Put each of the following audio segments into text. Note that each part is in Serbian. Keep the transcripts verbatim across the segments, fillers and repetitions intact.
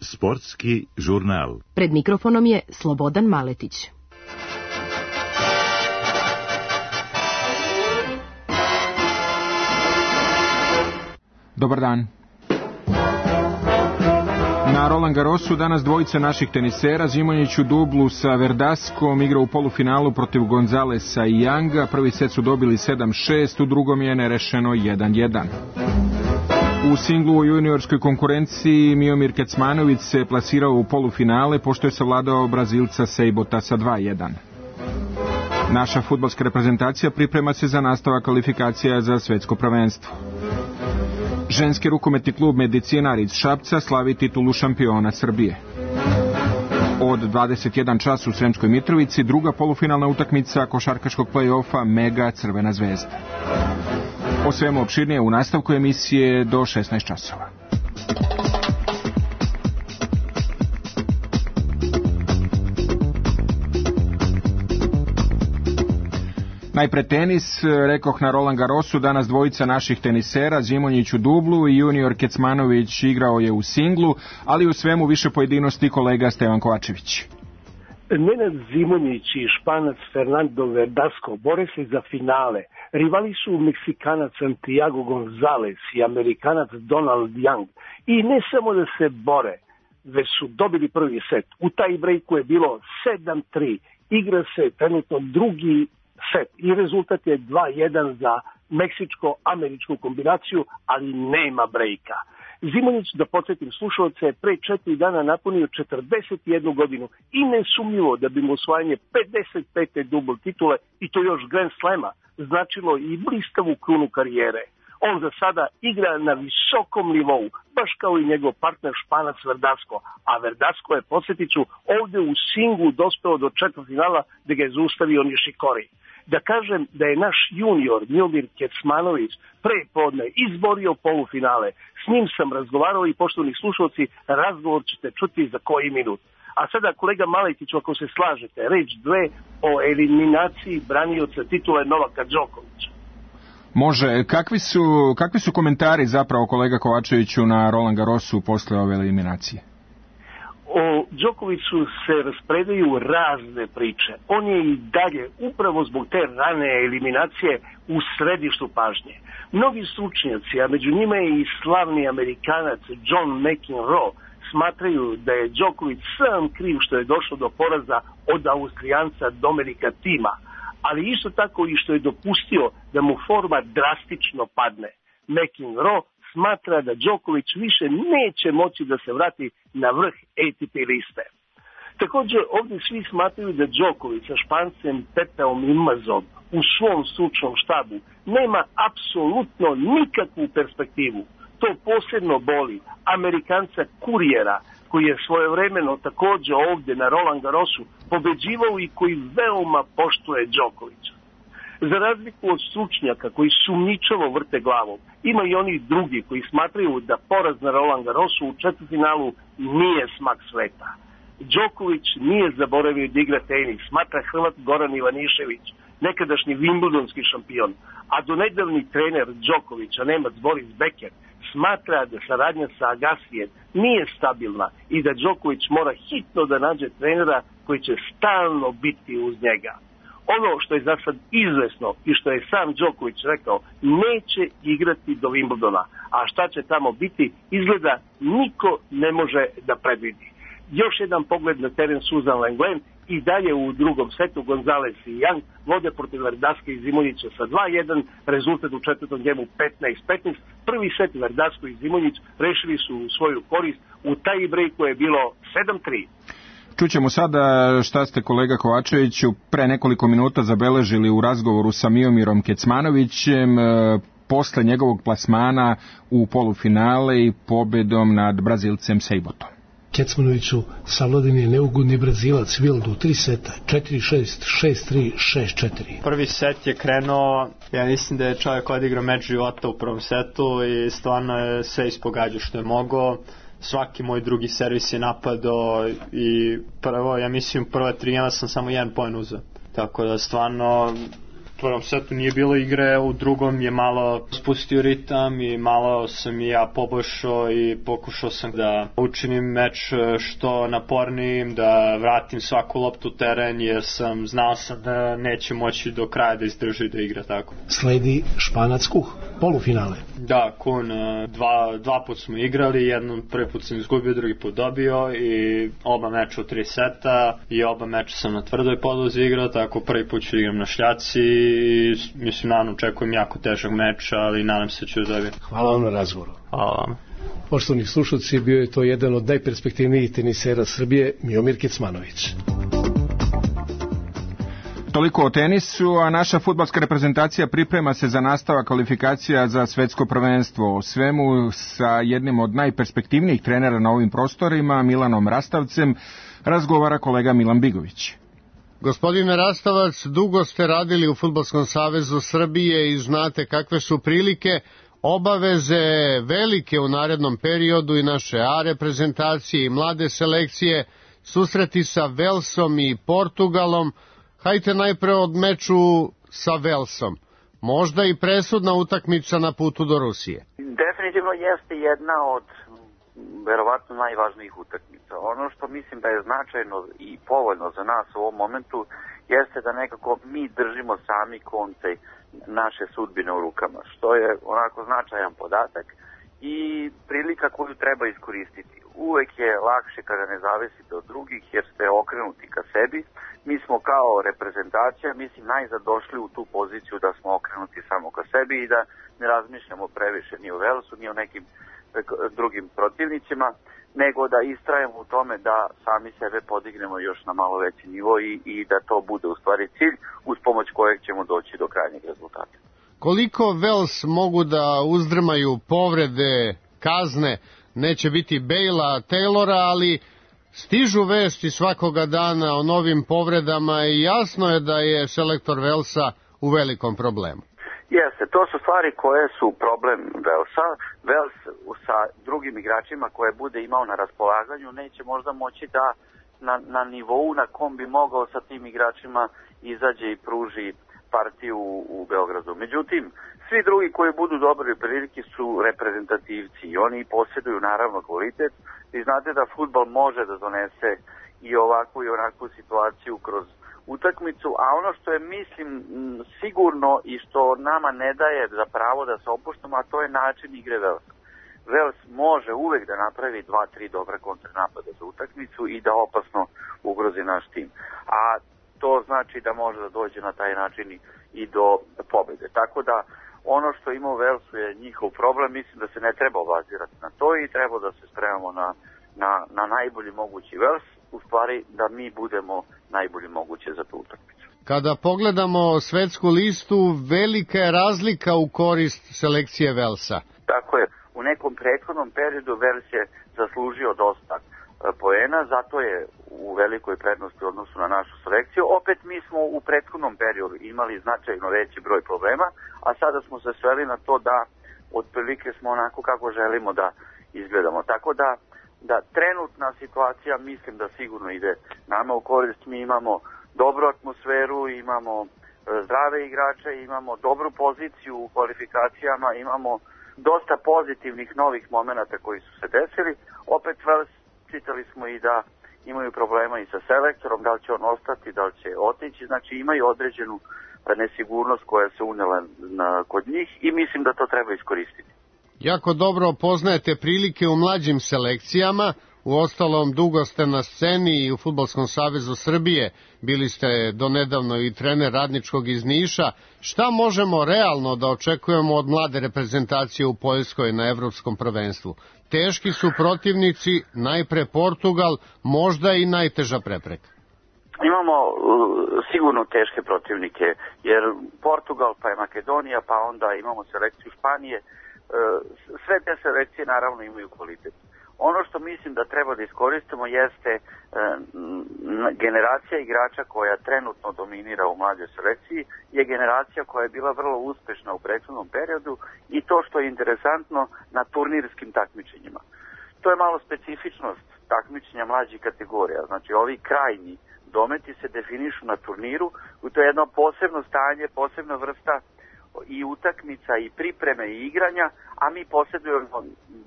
Sportski žurnal. Pred mikrofonom je Slobodan Maletić. Dobar dan. Na Roland Garrosu danas dvojica naših tenisera. Zimonjić u dublu sa Verdaskom igra u polufinalu protiv Gonzalesa i Younga. Prvi set su dobili sedam šest, u drugom je nerešeno jedan jedan. U singlu u juniorskoj konkurenciji Miomir Kecmanović se plasirao u polufinale pošto je savladao Brazilca Seibota sa dva jedan. Naša fudbalska reprezentacija priprema se za nastavak kvalifikacija za svetsko prvenstvo. Ženski rukometni klub Medicinar iz Šapca slavi titulu šampiona Srbije. Od dvadeset jedan čas u Sremskoj Mitrovici druga polufinalna utakmica košarkaškog play-offa Mega Crvena zvezda. O svemu opširnije u nastavku emisije do šesnaest časova. Najpre tenis, rekoh na Roland Garrosu, danas dvojica naših tenisera, Zimonjić u dublu i junior Kecmanović igrao je u singlu, ali u svemu više pojedinosti kolega Stevan Kovačević. Nenad Zimonjić i Španac Fernando Verdasco bore se za finale. Rivali su Meksikanac Santiago Gonzalez i Amerikanac Donald Young. I ne samo da se bore, već su dobili prvi set. U taj breaku je bilo sedam tri. Igra se trenutno drugi set i rezultat je dva jedan za meksičko-američku kombinaciju, ali nema brejka. Zimonjić, da podsjetim slušalce, pre četiri dana napunio četrdeset jednu godinu i nesumnjivo da bi mu osvajanje pedeset pete dubl titule i to još Grand Slema značilo i blistavu krunu karijere. On za sada igra na visokom nivou, baš kao i njegov partner Španac Verdasco, a Verdasco je, podsjetit ću, ovde u singlu dospeo do četvrtfinala gde ga je zaustavio Nishikori. Da kažem da je naš junior Miomir Kecmanović pre podne izborio polufinale. S njim sam razgovarao i, poštovani slušalci, razgovor ćete čuti za koji minut. A sada, kolega Maletiću, ako se slažete, reč dve o eliminaciji branioca titule Novaka Đokovića. Može. Kakvi su, kakvi su komentari zapravo, kolega Kovačeviću, na Roland Garrosu posle ove eliminacije? O Đokoviću se raspredaju razne priče. On je i dalje, upravo zbog te rane eliminacije, u središtu pažnje. Mnogi stručnjaci, a među njima je i slavni Amerikanac John McEnroe, smatraju da je Đoković sam kriv što je došlo do poraza od Austrijanca Dominika Tima, ali isto tako i što je dopustio da mu forma drastično padne. McEnroe smatra da Đoković više neće moći da se vrati na vrh A T P liste. Također, ovdje svi smatraju da Đoković sa Špancem Pepeom Imazom u svom stručnom štabu nema apsolutno nikakvu perspektivu. To posebno boli Amerikanca Kurijera, koji je svojevremeno također ovdje na Roland Garrosu pobeđivao i koji veoma poštuje Đokovića. Za razliku od stručnjaka koji sumnjičavo vrte glavom, ima i oni drugi koji smatraju da poraz na Roland Garrosu u četvrtfinalu nije smak sveta. Đoković nije zaboravio da igra tenis, smatra Hrvat Goran Ivanišević, nekadašnji Wimbledonski šampion, a donedavni trener Đokovića, Nemac Boris Becker, smatra da saradnja sa Agasijem nije stabilna i da Đoković mora hitno da nađe trenera koji će stalno biti uz njega. Ono što je za sad izvesno i što je sam Đoković rekao, neće igrati do Wimbledona, a šta će tamo biti, izgleda niko ne može da predvidi. Još jedan pogled na teren Suzan Lenglen i dalje u drugom setu Gonzalez i Young vode protiv Verdaske i Zimonjića sa dva jedan, rezultat u četvrtom gemu petnaest petnaest. Prvi set Verdasko i Zimonjić rešili su u svoju korist, u taj breaku je bilo sedam tri. Čućemo sada šta ste, kolega Kovačeviću, pre nekoliko minuta zabeležili u razgovoru sa Miomirom Kecmanovićem posle njegovog plasmana u polufinale i pobedom nad Brazilcem Seibotom. Kecmanoviću, savladan je neugodni Brazilac Wild u tri seta, četiri šest, šest tri, šest četiri. Prvi set je krenuo, ja mislim da je čovjek odigrao meč života u prvom setu i stvarno je sve ispogađao što je mogao. Svaki moj drugi servis je napadao i prvo, ja mislim, prva tri ja sam samo jedan poen uzeo. Tako da stvarno prvom setu nije bilo igre, u drugom je malo spustio ritam i malo sam i ja poboljšao i pokušao sam da učinim meč što napornijim, da vratim svaku loptu u teren jer sam znao sam da neće moći do kraja da izdrži da igra tako. Sledi Španac-Kuh, polufinale. Da, Kun, dva, dva put smo igrali, jednom prvi put sam izgubio, drugi put dobio i oba meča u tri seta i oba meča sam na tvrdoj podlozi igrao, tako prvi put ću igram na šljaci i mislim, naravno, očekujem jako težak meč, ali nadam se ću da dobijem. Hvala vam na razgovoru. Hvala vam. Poštovani slušalci, bio je to jedan od najperspektivnijih tenisera Srbije, Miomir Kecmanović. Toliko o tenisu, a naša fudbalska reprezentacija priprema se za nastavak kvalifikacija za svetsko prvenstvo. O svemu sa jednim od najperspektivnijih trenera na ovim prostorima, Milanom Rastavcem, razgovara kolega Milan Bigović. Gospodine Rastavac, dugo ste radili u Fudbalskom savezu Srbije i znate kakve su prilike, obaveze velike u narednom periodu i naše A reprezentacije i mlade selekcije, susreti sa Velsom i Portugalom. Hajte najpre od meču sa Velsom. Možda i presudna utakmica na putu do Rusije. Definitivno jeste jedna od verovatno najvažnijih utakmica. Ono što mislim da je značajno i povoljno za nas u ovom momentu jeste da nekako mi držimo sami konce naše sudbine u rukama, što je onako značajan podatak i prilika koju treba iskoristiti. Uvek je lakše kada ne zavisite od drugih jer ste okrenuti ka sebi. Mi smo kao reprezentacija, mislim, najzad došli u tu poziciju da smo okrenuti samo ka sebi i da ne razmišljamo previše ni o Velsu, ni o nekim drugim protivnicima, nego da istrajemo u tome da sami sebe podignemo još na malo veći nivo i, i da to bude u stvari cilj uz pomoć kojeg ćemo doći do krajnjeg rezultata. Koliko Vels mogu da uzdrmaju povrede, kazne, neće biti Bejla, Taylora, ali stižu vesti svakoga dana o novim povredama i jasno je da je selektor Velsa u velikom problemu. Jeste, to su stvari koje su problem Velsa. Vels sa drugim igračima koje bude imao na raspolaganju neće možda moći da na, na nivou na kom bi mogao sa tim igračima izađe i pruži partiju u, u Beogradu. Međutim, svi drugi koji budu dobri prilike su reprezentativci i oni posjeduju naravno kvalitet. Vi znate da fudbal može da donese i ovakvu i onakvu situaciju kroz utakmicu, a ono što je, mislim, sigurno i što nama ne daje za pravo da se opuštamo, a to je način igre Velsa. Vels može uvek da napravi dva, tri dobra kontranapada za utakmicu i da opasno ugrozi naš tim. A to znači da može da dođe na taj način i do pobede. Tako da ono što ima u Velsu je njihov problem, mislim da se ne treba obazirati na to i treba da se spremamo na, na, na najbolji mogući Vels, u stvari da mi budemo najbolji moguće za tu utakmicu. Kada pogledamo svetsku listu, velika je razlika u korist selekcije Velsa. Tako je, u nekom prethodnom periodu Vels je zaslužio dosta poena, zato je u velikoj prednosti u odnosu na našu selekciju. Opet mi smo u prethodnom periodu imali značajno veći broj problema, a sada smo se sveli na to da otprilike smo onako kako želimo da izgledamo. Tako da, da trenutna situacija mislim da sigurno ide nama u korist. Mi imamo dobru atmosferu, imamo zdrave igrače, imamo dobru poziciju u kvalifikacijama, imamo dosta pozitivnih novih momenata koji su se desili. Opet Vels, čitali smo i da imaju problema i sa selektorom, da li će on ostati, da li će otići, znači imaju određenu nesigurnost koja se unela na, kod njih i mislim da to treba iskoristiti. Jako dobro poznajete prilike u mlađim selekcijama, uostalom dugo ste na sceni i u Fudbalskom savezu Srbije, bili ste donedavno i trener Radničkog iz Niša. Šta možemo realno da očekujemo od mlade reprezentacije u Poljskoj na evropskom prvenstvu? Teški su protivnici, najpre Portugal, možda i najteža prepreka. Imamo uh, sigurno teške protivnike, jer Portugal, pa je Makedonija, pa onda imamo selekciju Španije. Uh, sve te selekcije naravno imaju kvalitet. Ono što mislim da treba da iskoristimo jeste uh, generacija igrača koja trenutno dominira u mlađoj selekciji, je generacija koja je bila vrlo uspešna u prethodnom periodu i to što je interesantno na turnirskim takmičenjima. To je malo specifičnost takmičenja mlađih kategorija. Znači ovi krajnji dometi se definišu na turniru to je jedno posebno stanje, posebna vrsta i utakmica i pripreme i igranja, a mi posjedujemo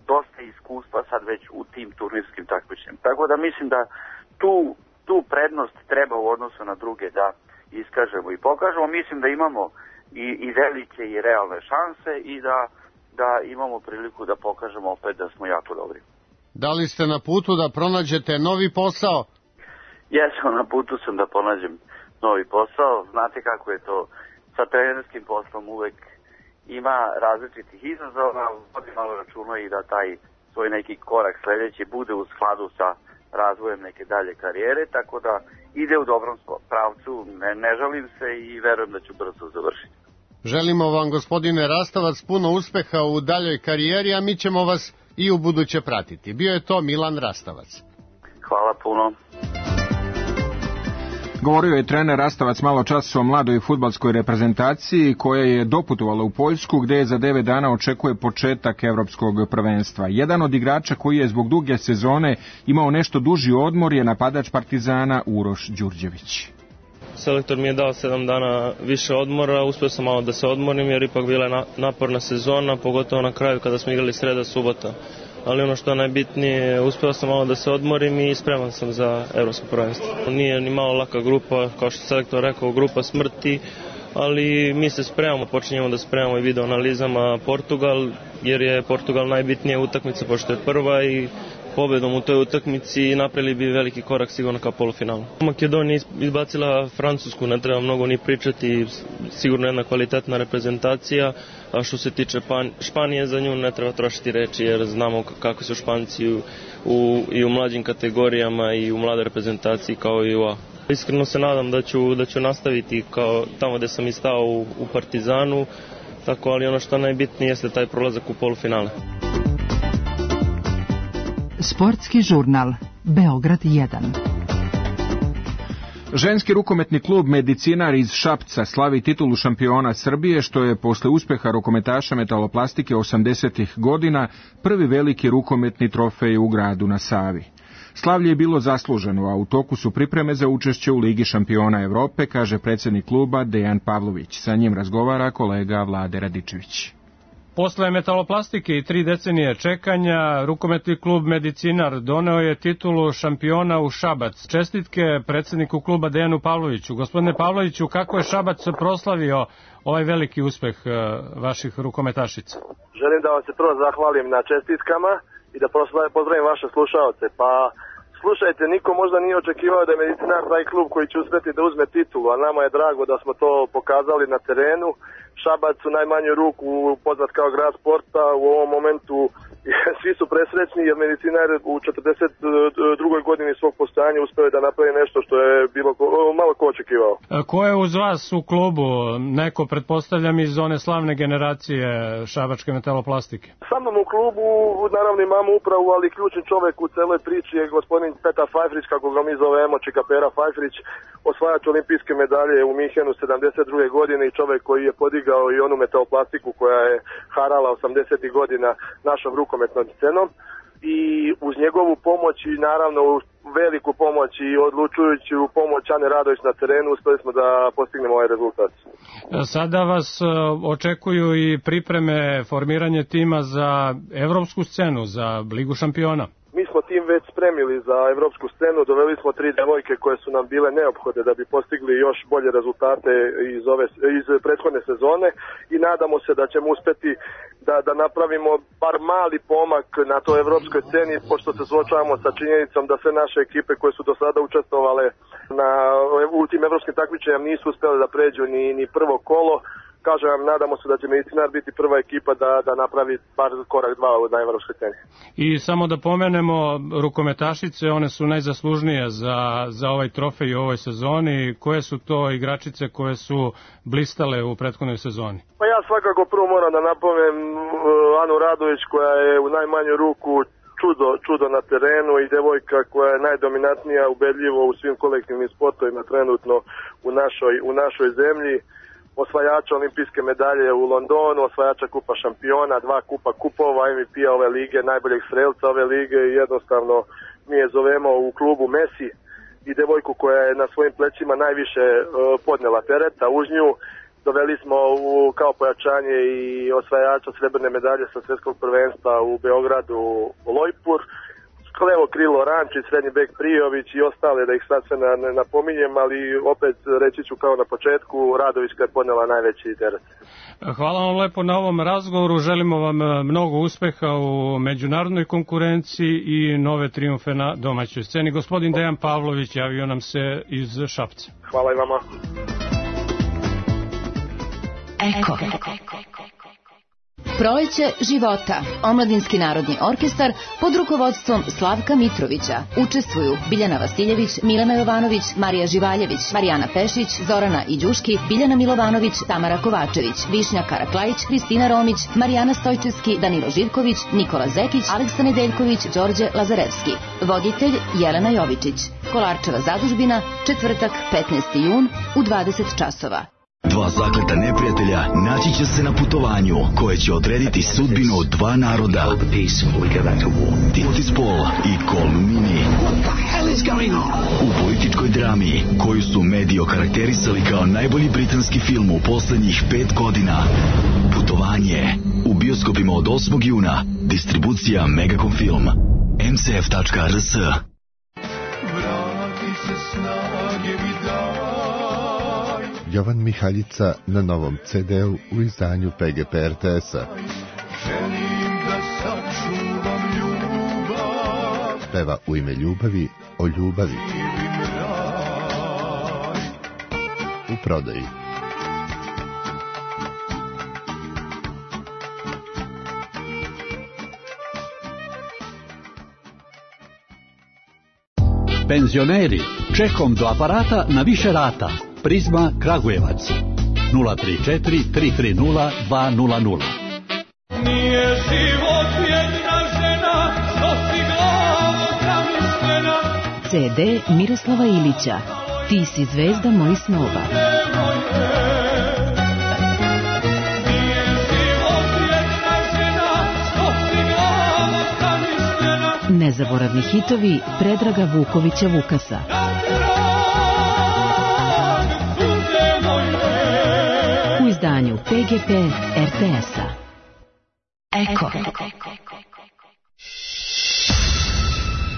dosta iskustva sad već u tim turnirskim takmičenjima. Tako da mislim da tu, tu prednost treba u odnosu na druge da iskažemo i pokažemo. Mislim da imamo i, i velike i realne šanse i da, da imamo priliku da pokažemo opet da smo jako dobri. Da li ste na putu da pronađete novi posao? Jesam, na putu sam da pronađem novi posao. Znate kako je to sa trenerskim poslom, uvek ima različitih izazova, vodi malo računa i da taj svoj neki korak sledeći bude u skladu sa razvojem neke dalje karijere, tako da ide u dobrom pravcu, ne, ne žalim se i verujem da ću brzo završiti. Želimo vam, gospodine Rastavac, puno uspeha u daljoj karijeri, a mi ćemo vas i u buduće pratiti. Bio je to Milan Rastavac. Hvala puno. Govorio je trener Rastavac malo čas o mladoj fudbalskoj reprezentaciji koja je doputovala u Poljsku gde je za devet dana očekuje početak evropskog prvenstva. Jedan od igrača koji je zbog duge sezone imao nešto duži odmor je napadač Partizana Uroš Đurđević. Selektor mi je dao sedam dana više odmora, uspio sam malo da se odmorim jer ipak bila je naporna sezona, pogotovo na kraju kada smo igrali sreda subota. Ali ono što je najbitnije, uspeo sam malo da se odmorim i spreman sam za evropsko prvenstvo. Nije ni malo laka grupa, kao što je selektor rekao, grupa smrti, ali mi se spremamo, počinjemo da spremamo i video analizama Portugal, jer je Portugal najbitnija utakmica, pošto je prva i pobedom u toj utakmici napravili bi veliki korak sigurno kao polufinalu. Makedonija izbacila Francusku, ne treba mnogo ni pričati, sigurno jedna kvalitetna reprezentacija, a što se tiče Španije, za nju ne treba trošiti reči jer znamo kako su Španci u, u, i u mlađim kategorijama i u mlade reprezentaciji kao i u A. Iskreno se nadam da ću, da ću nastaviti kao tamo gde sam i stao u, u Partizanu, tako, ali ono što najbitnije jeste taj prolazak u polufinale. Sportski žurnal Beograd jedan. Ženski rukometni klub Medicinar iz Šapca slavi titulu šampiona Srbije, što je posle uspeha rukometaša metaloplastike osamdesetih godina prvi veliki rukometni trofej u gradu na Savi. Slavlje je bilo zasluženo, a u toku su pripreme za učešće u Ligi šampiona Evrope, kaže predsjednik kluba Dejan Pavlović. Sa njim razgovara kolega Vlade Radičević. Posle metaloplastike i tri decenije čekanja, rukometni klub Medicinar doneo je titulu šampiona u Šabac. Čestitke predsjedniku kluba Dejanu Pavloviću. Gospodine Pavloviću, kako je Šabac proslavio ovaj veliki uspeh vaših rukometašica? Želim da vam se prvo zahvalim na čestitkama i da pozdravim vaše slušaoce. Pa slušajte, niko možda nije očekivao da je Medicinar taj klub koji će uspjeti da uzme titulu, a nama je drago da smo to pokazali na terenu. Šabac u najmanju ruku poznat kao grad sporta, u ovom momentu svi su presrećni jer Medicinar u četrdeset drugoj godini svog postojanja uspeo je da napravi nešto što je bilo malo ko očekivao. Ko je uz vas u klubu? Neko, pretpostavljam, iz one slavne generacije šabačke metaloplastike? Sa mnom u klubu, naravno imamo upravu, ali ključni čovjek u celoj priči je gospodin Petar Fajfrić, kako ga mi zovemo, Čikapera Fajfrić, osvajač olimpijske medalje u Minhenu sedamdeset druge godine i čovjek koji je podigao i onu metaloplastiku koja je harala osamdesetih godina našom rukometnom scenom. I uz njegovu pomoć i naravno veliku pomoć i odlučujuću pomoć Ane Radović na terenu uspeli smo da postignemo ovaj rezultat. Sada vas očekuju i pripreme, formiranje tima za evropsku scenu, za Ligu šampiona. Mi smo tim već spremili za evropsku scenu, doveli smo tri devojke koje su nam bile neophodne da bi postigli još bolje rezultate iz, ove, iz prethodne sezone i nadamo se da ćemo uspeti da, da napravimo bar mali pomak na toj evropskoj sceni, pošto se suočavamo sa činjenicom da sve naše ekipe koje su do sada učestvovale na, u tim evropskim takmičenjama nisu uspjeli da pređu ni, ni prvo kolo. Kažem vam, nadamo se da će Medicinar biti prva ekipa da, da napravi bar korak dva na evropskoj sceni. I samo da pomenemo rukometašice, one su najzaslužnije za, za ovaj trofej u ovoj sezoni. Koje su to igračice koje su blistale u prethodnoj sezoni? Pa ja svakako prvo moram da napomenem Anu Radović koja je u najmanju ruku čudo, čudo na terenu i devojka koja je najdominantnija ubedljivo u svim kolektivnim sportovima trenutno u našoj, u našoj zemlji. Osvajača olimpijske medalje u Londonu, osvajača kupa šampiona, dva kupa kupova, M V P-a ove lige, najboljeg strelca ove lige i jednostavno mi je zovemo u klubu Messi i devojku koja je na svojim plećima najviše podnela tereta uz nju. Doveli smo u, kao pojačanje i osvajača srebrne medalje sa svjetskog prvenstva u Beogradu Lojpur, levo krilo Rančić, srednji bek Prijović i ostale, da ih sad sve ne napominjem, ali opet reći ću kao na početku, Radovićka je podnela najveći teret. Hvala vam lepo na ovom razgovoru, želimo vam mnogo uspeha u međunarodnoj konkurenciji i nove trijumfe na domaćoj sceni. Gospodin Dejan Pavlović javio nam se iz Šapca. Hvala i vama. Eko. Proleće života. Omladinski narodni orkestar pod rukovodstvom Slavka Mitrovića. Učestvuju Biljana Vasiljević, Milena Jovanović, Marija Živaljević, Marijana Pešić, Zorana Iđuški, Biljana Milovanović, Tamara Kovačević, Višnja Karaklajić, Kristina Romić, Marijana Stojčevski, Danilo Živković, Nikola Zekić, Aleksa Nedeljković, Đorđe Lazarevski. Voditelj Jelena Jovičić. Kolarčeva zadužbina, četvrtak petnaesti jun u dvadeset časova. Dva zakleta neprijatelja naći će se na putovanju koje će odrediti sudbinu dva naroda. Titispol i Kolumini. U političkoj drami koju su mediji okarakterisali kao najbolji britanski film u poslednjih pet godina. Putovanje u bioskopima od osmog juna. Distribucija Megacom Film. em ce ef tačka er es. Vrati se snage mi daj. Jovan Mihaljica na novom ce de-u u izdanju pe ge pe er te es-a. Želim da sačuvam ljubav. Peva u ime ljubavi o ljubavi. U prodaji. Penzioneri, čekom do aparata na više rata. Prizma Kragujevac nula tri četiri tri tri nula dva nula nula. Nije život jedna žena, nosi glavu zamišljena. ce de Miroslava Ilića. Ti si zvezda mojih snova. Nije život jedna žena, nosi glavu zamišljena. Nezaboravni hitovi Predraga Vukovića Vukasa. U izdanju pe ge pe er te es-a. Eko.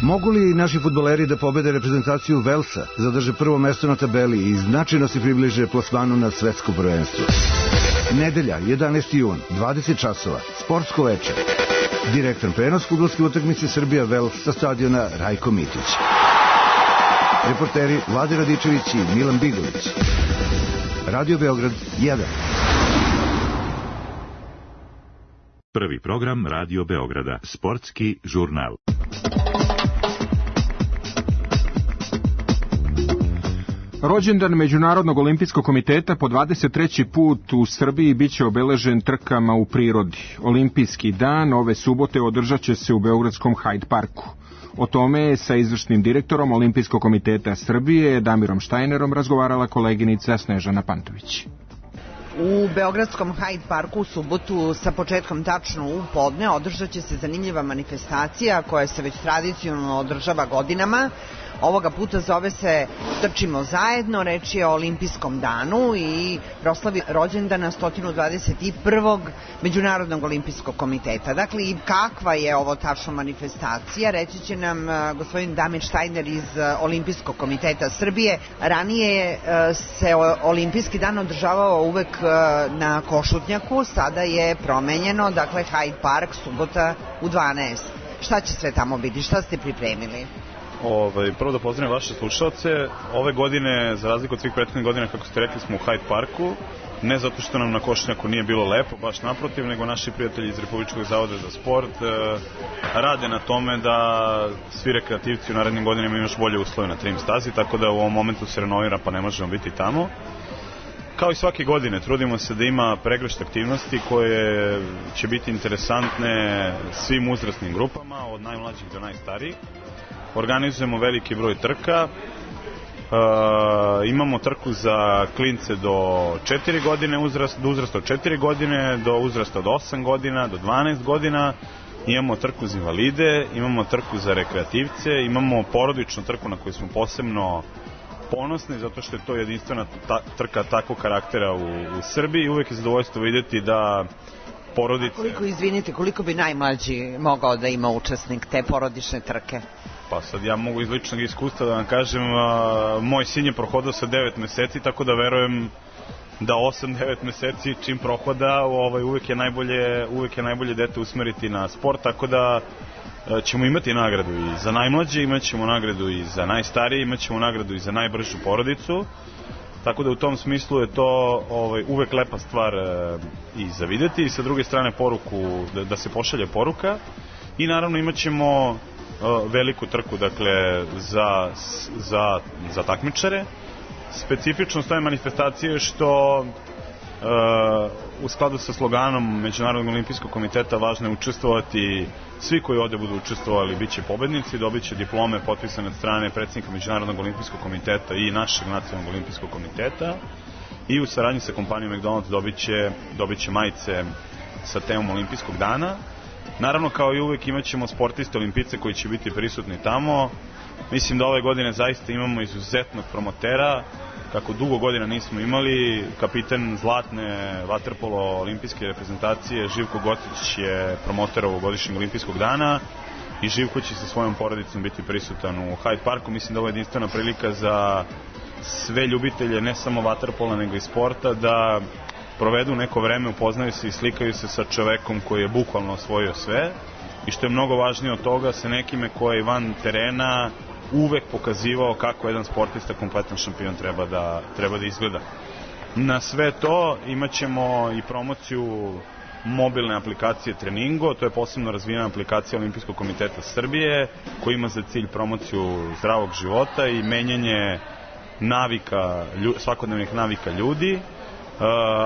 Mogu li naši fudbaleri da pobede reprezentaciju Velsa, zadrže prvo mesto na tabeli i značajno se približe plasmanu na svetsko prvenstvo? Nedelja, jedanaesti jun, dvadeset časova, sportsko veče. Direktan prenos fudbalske utakmice Srbija-Vels sa stadiona Rajko Mitić. Reporteri Vlade Radičević i Milan Bigović. Radio Beograd jedan. Prvi program Radio Beograda, sportski žurnal. Rođendan Međunarodnog olimpijskog komiteta po dvadeset treći put u Srbiji biće obeležen trkama u prirodi. Olimpijski dan ove subote održat će se u beogradskom Hyde Parku. O tome je sa izvršnim direktorom Olimpijskog komiteta Srbije, Damirom Štajnerom, razgovarala koleginica Snežana Pantović. U beogradskom Hyde Parku u subotu sa početkom tačno u podne održat će se zanimljiva manifestacija koja se već tradicionalno održava godinama. Ovoga puta zove se Trčimo zajedno, reč je o olimpijskom danu i proslavi rođendana sto dvadeset prvog Međunarodnog olimpijskog komiteta. Dakle, kakva je ovo tačno manifestacija, reći će nam gospodin Damir Štajner iz Olimpijskog komiteta Srbije. Ranije se olimpijski dan održavao uvek na Košutnjaku, sada je promenjeno, dakle Hyde Park, subota u dvanaest. Šta će sve tamo biti, šta ste pripremili? Ovaj, prvo da pozdravim vaše slušalce. Ove godine, za razliku od svih prethodnih godina, kako ste rekli, smo u Hyde Parku. Ne zato što nam na Košutnjaku nije bilo lepo, baš naprotiv, nego naši prijatelji iz Republičkog zavoda za sport e, rade na tome da svi rekreativci u narednim godinama imaju još bolje uslove na trim stazi, tako da u ovom momentu se renovira pa ne možemo biti tamo. Kao i svake godine, trudimo se da ima pregršt aktivnosti koje će biti interesantne svim uzrasnim grupama, od najmlađih do najstarijih. Organizujemo veliki broj trka, e, imamo trku za klince do četiri godine, uzrast, do uzrasta od četiri godine, do uzrasta od osam godina, do dvanaest godina, imamo trku za invalide, imamo trku za rekreativce, imamo porodičnu trku na koju smo posebno ponosni, zato što je to jedinstvena ta, trka takvog karaktera u, u Srbiji i uvek je zadovoljstvo vidjeti da porodice... Koliko, izvinite, koliko bi najmlađi mogao da ima učesnik te porodične trke? Pa sad ja mogu iz ličnog iskustva da vam kažem, a, moj sin je prohodao sa devet meseci, tako da verujem da osam devet meseci čim prohoda, ovaj, uvek je najbolje, uvek je najbolje dete usmeriti na sport, tako da ćemo imati nagradu i za najmlađe, imat ćemo nagradu i za najstarije, imat ćemo nagradu i za najbržu porodicu, tako da u tom smislu je to ovaj, uvek lepa stvar e, i za videti i sa druge strane poruku, da, da se pošalje poruka i naravno imat ćemo e, veliku trku, dakle, za, za, za takmičare. Specifičnost ove manifestacije je što Uh, u skladu sa sloganom Međunarodnog olimpijskog komiteta važno je učestvovati, svi koji ovde budu učestvovali bit će pobednici, dobit će diplome potpisane od strane predsjednika Međunarodnog olimpijskog komiteta i našeg nacionalnog olimpijskog komiteta i u saradnji sa kompanijom McDonald's dobit će, dobit će majice sa temom olimpijskog dana. Naravno, kao i uvek, imat ćemo sportiste olimpice koji će biti prisutni tamo. Mislim da ove godine zaista imamo izuzetnog promotera, kako dugo godina nismo imali. Kapitan zlatne vaterpolo olimpijske reprezentacije Živko Gocić je promoter ovogodišnjeg olimpijskog dana i Živko će sa svojom porodicom biti prisutan u Hyde Parku. Mislim da ovo je jedinstvena prilika za sve ljubitelje, ne samo vaterpola nego i sporta, da provedu neko vreme, upoznaju se i slikaju se sa čovekom koji je bukvalno osvojio sve i što je mnogo važnije od toga, sa nekime koji je van terena uvek pokazivao kako jedan sportista, kompletan šampion treba da, treba da izgleda. Na sve to imat ćemo i promociju mobilne aplikacije Treningo, to je posebno razvijena aplikacija Olimpijskog komiteta Srbije koji ima za cilj promociju zdravog života i menjanje navika, svakodnevnih navika ljudi. E,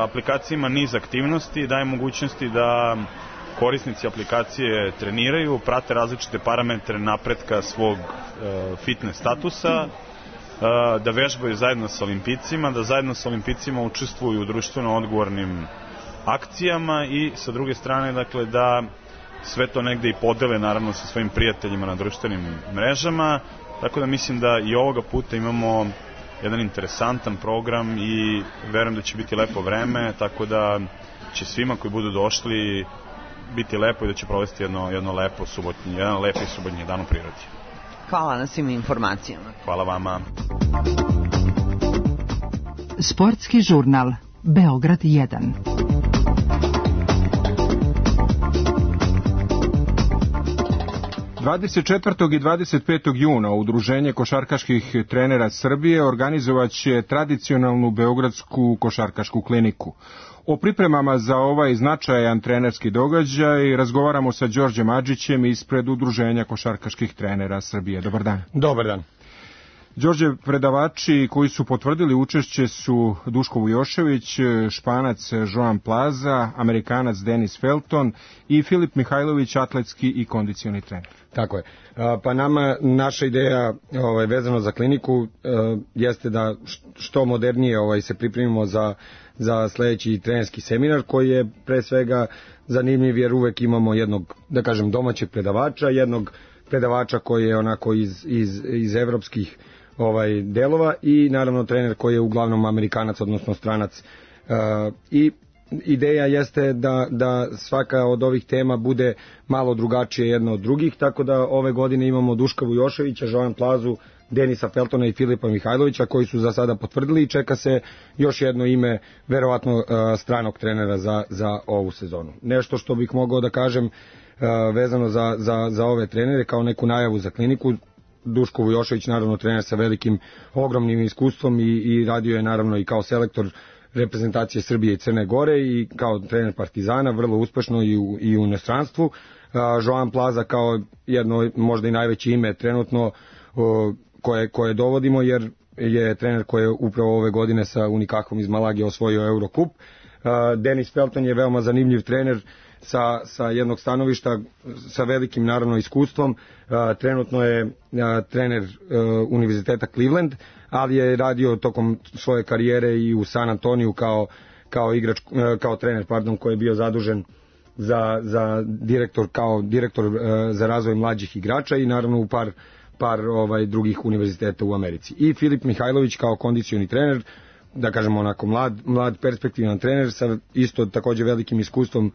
aplikacija ima niz aktivnosti, daje mogućnosti da korisnici aplikacije treniraju, prate različite parametre napretka svog e, fitness statusa, e, da vežbaju zajedno sa olimpijcima, da zajedno sa olimpijcima učestvuju u društveno odgovornim akcijama i sa druge strane, dakle, da sve to negde i podele naravno sa svojim prijateljima na društvenim mrežama, tako da mislim da i ovoga puta imamo jedan interesantan program i verujem da će biti lepo vreme, tako da će svima koji budu došli biti lepo i da će provesti jedno, jedno lepo subotnje, jedan lepi subotnji dan u prirodi. Hvala na svim informacijama. Hvala vama. Sportski žurnal Beograd jedan. dvadeset četvrtog i dvadeset petog juna Udruženje košarkaških trenera Srbije organizovaće tradicionalnu beogradsku košarkašku kliniku. O pripremama za ovaj značajan trenerski događaj razgovaramo sa Đorđem Adžićem ispred Udruženja košarkaških trenera Srbije. Dobar dan. Dobar dan. Đorđe, predavači koji su potvrdili učešće su Duško Vujošević, Španac Joan Plaza, Amerikanac Denis Felton i Filip Mihajlović, atletski i kondicioni trener. Tako je. Pa nama, naša ideja ovaj, vezano za kliniku jeste da što modernije ovaj, se pripremimo za, za sledeći trenerski seminar koji je pre svega zanimljiv jer uvek imamo jednog, da kažem, domaćeg predavača, jednog predavača koji je onako iz, iz, iz evropskih ovaj delova i naravno trener koji je uglavnom Amerikanac, odnosno stranac. Uh, I ideja jeste da, da svaka od ovih tema bude malo drugačije jedna od drugih, tako da ove godine imamo Duška Vujoševića, Joan Plazu, Denisa Feltona i Filipa Mihajlovića koji su za sada potvrdili i čeka se još jedno ime, verovatno uh, stranog trenera za, za ovu sezonu. Nešto što bih mogao da kažem uh, vezano za, za, za ove trenere kao neku najavu za kliniku. Duško Vujošević, naravno trener sa velikim, ogromnim iskustvom i, i radio je naravno i kao selektor reprezentacije Srbije i Crne Gore i kao trener Partizana, vrlo uspešno i u, i u inostranstvu. Uh, Joan Plaza kao jedno možda i najveće ime trenutno uh, koje, koje dovodimo jer je trener koji je upravo ove godine sa Unikahom iz Malage osvojio Eurocup. Uh, Denis Felton je veoma zanimljiv trener sa, sa jednog stanovišta, sa velikim naravno iskustvom. Uh, trenutno je uh, trener uh, Univerziteta Cleveland, ali je radio tokom svoje karijere i u San Antoniju kao, kao, igrač, uh, kao trener pardon, koji je bio zadužen za, za direktor kao direktor uh, za razvoj mlađih igrača i naravno u par par ovaj drugih univerziteta u Americi. I Filip Mihajlović kao kondicioni trener, da kažemo onako mlad, mlad perspektivan trener sa isto takođe velikim iskustvom uh,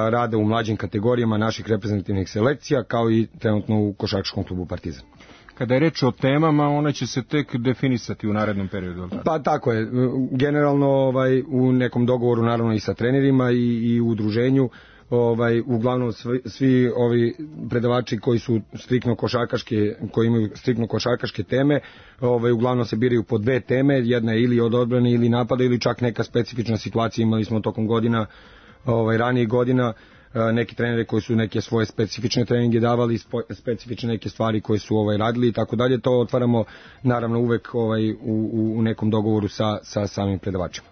rada u mlađim kategorijama naših reprezentativnih selekcija, kao i trenutno u košarkaškom klubu Partizan. Kada je reč o temama, ona će se tek definisati u narednom periodu. Pa tako je. Generalno ovaj, u nekom dogovoru naravno i sa trenerima i, i u udruženju, ovaj uglavnom svi, svi ovi predavači koji su striktno košarkaške, koji imaju striktno košarkaške teme, ovaj uglavnom se biraju po dve teme, jedna je ili od odbrane ili napada ili čak neka specifična situacija. Imali smo tokom godina, ovaj ranijih godina neki treneri koji su neke svoje specifične treninge davali, specifične neke stvari koje su ovaj radili i tako dalje. To otvaramo naravno uvek ovaj u, u nekom dogovoru sa sa samim predavačima.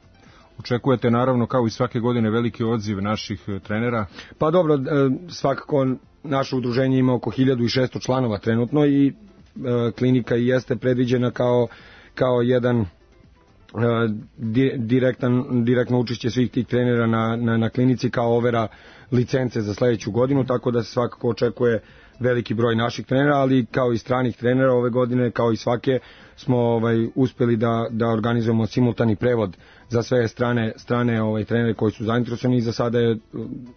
Očekujete naravno kao i svake godine veliki odziv naših trenera? Pa dobro, svakako naše udruženje ima oko hiljadu šesto članova trenutno i e, klinika i jeste predviđena kao, kao jedan e, direktan, direktno učešće svih tih trenera na, na, na klinici kao overa licence za sledeću godinu, tako da se svakako očekuje veliki broj naših trenera, ali kao i stranih trenera ove godine, kao i svake, smo ovaj uspeli da da organizujemo simultani prevod za sve strane strane ovaj trenere koji su zainteresovani i za sada je,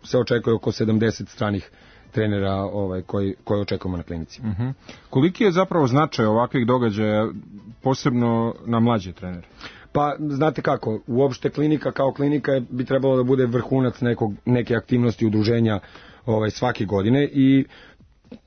se očekuje oko sedamdeset stranih trenera ovaj koji koji očekujemo na klinici. Uh -huh. Koliki je zapravo značaj ovakvih događaja posebno na mlađe trenere? Pa znate kako, uopšte klinika kao klinika bi trebalo da bude vrhunac nekog neke aktivnosti udruženja ovaj svake godine i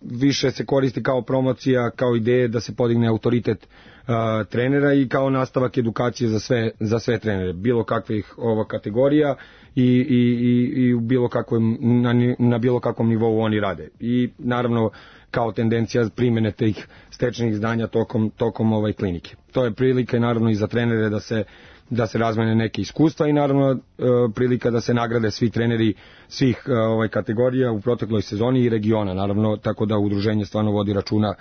više se koristi kao promocija, kao ideje da se podigne autoritet uh, trenera i kao nastavak edukacije za sve za sve trenere, bilo kakvih ova kategorija i i i i u bilo kakvom na, na bilo kakvom nivou oni rade. I naravno kao tendencija primene tih stečenih znanja tokom tokom ovaj klinike. To je prilika naravno i za trenere da se da se razmene neke iskustva i naravno e, prilika da se nagrade svi treneri svih e, ovaj kategorija u protekloj sezoni i regiona, naravno, tako da udruženje stvarno vodi računa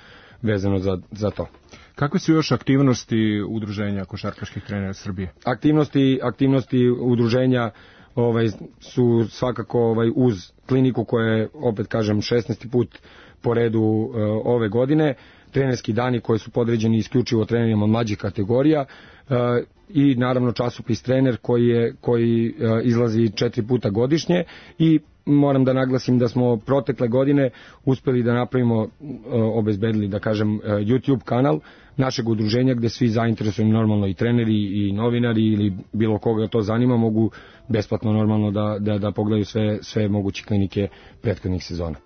vezano za, za to. Kakve su još aktivnosti udruženja košarkaških trenera Srbije? Aktivnosti, aktivnosti udruženja ovaj, su svakako ovaj, uz kliniku koja je, opet kažem, šesnaesti put po redu e, ove godine, trenerski dani koji su podređeni isključivo trenerima mlađih kategorija, e, i naravno časopis Trener koji je koji e, izlazi četiri puta godišnje i moram da naglasim da smo protekle godine uspeli da napravimo, e, obezbedili da kažem e, YouTube kanal našeg udruženja gde svi zainteresovani normalno i treneri i novinari ili bilo koga to zanima mogu besplatno normalno da, da, da pogledaju sve, sve moguće klinike prethodnih sezona.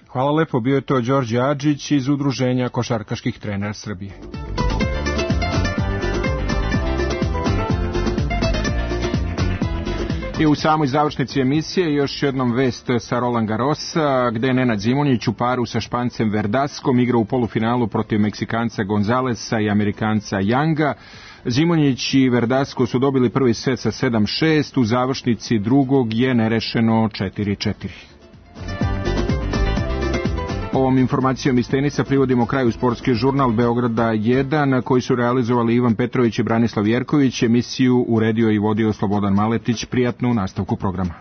Hvala lepo, bio je to Đorđe Adžić iz udruženja košarkaških trenera Srbije. I u samoj završnici emisije još jednom vest sa Roland Garrosa, gde je Nenad Zimonjić u paru sa Špancem Verdaskom igrao u polufinalu protiv Meksikanca Gonzalesa i Amerikanca Younga. Zimonjić i Verdasko su dobili prvi set sa sedam šest, u završnici drugog je nerešeno četiri četiri. Ovom informacijom iz tenisa privodimo kraju sportski žurnal Beograda jedan, koji su realizovali Ivan Petrović i Branislav Jerković. Emisiju uredio i vodio Slobodan Maletić. Prijatno u nastavku programa.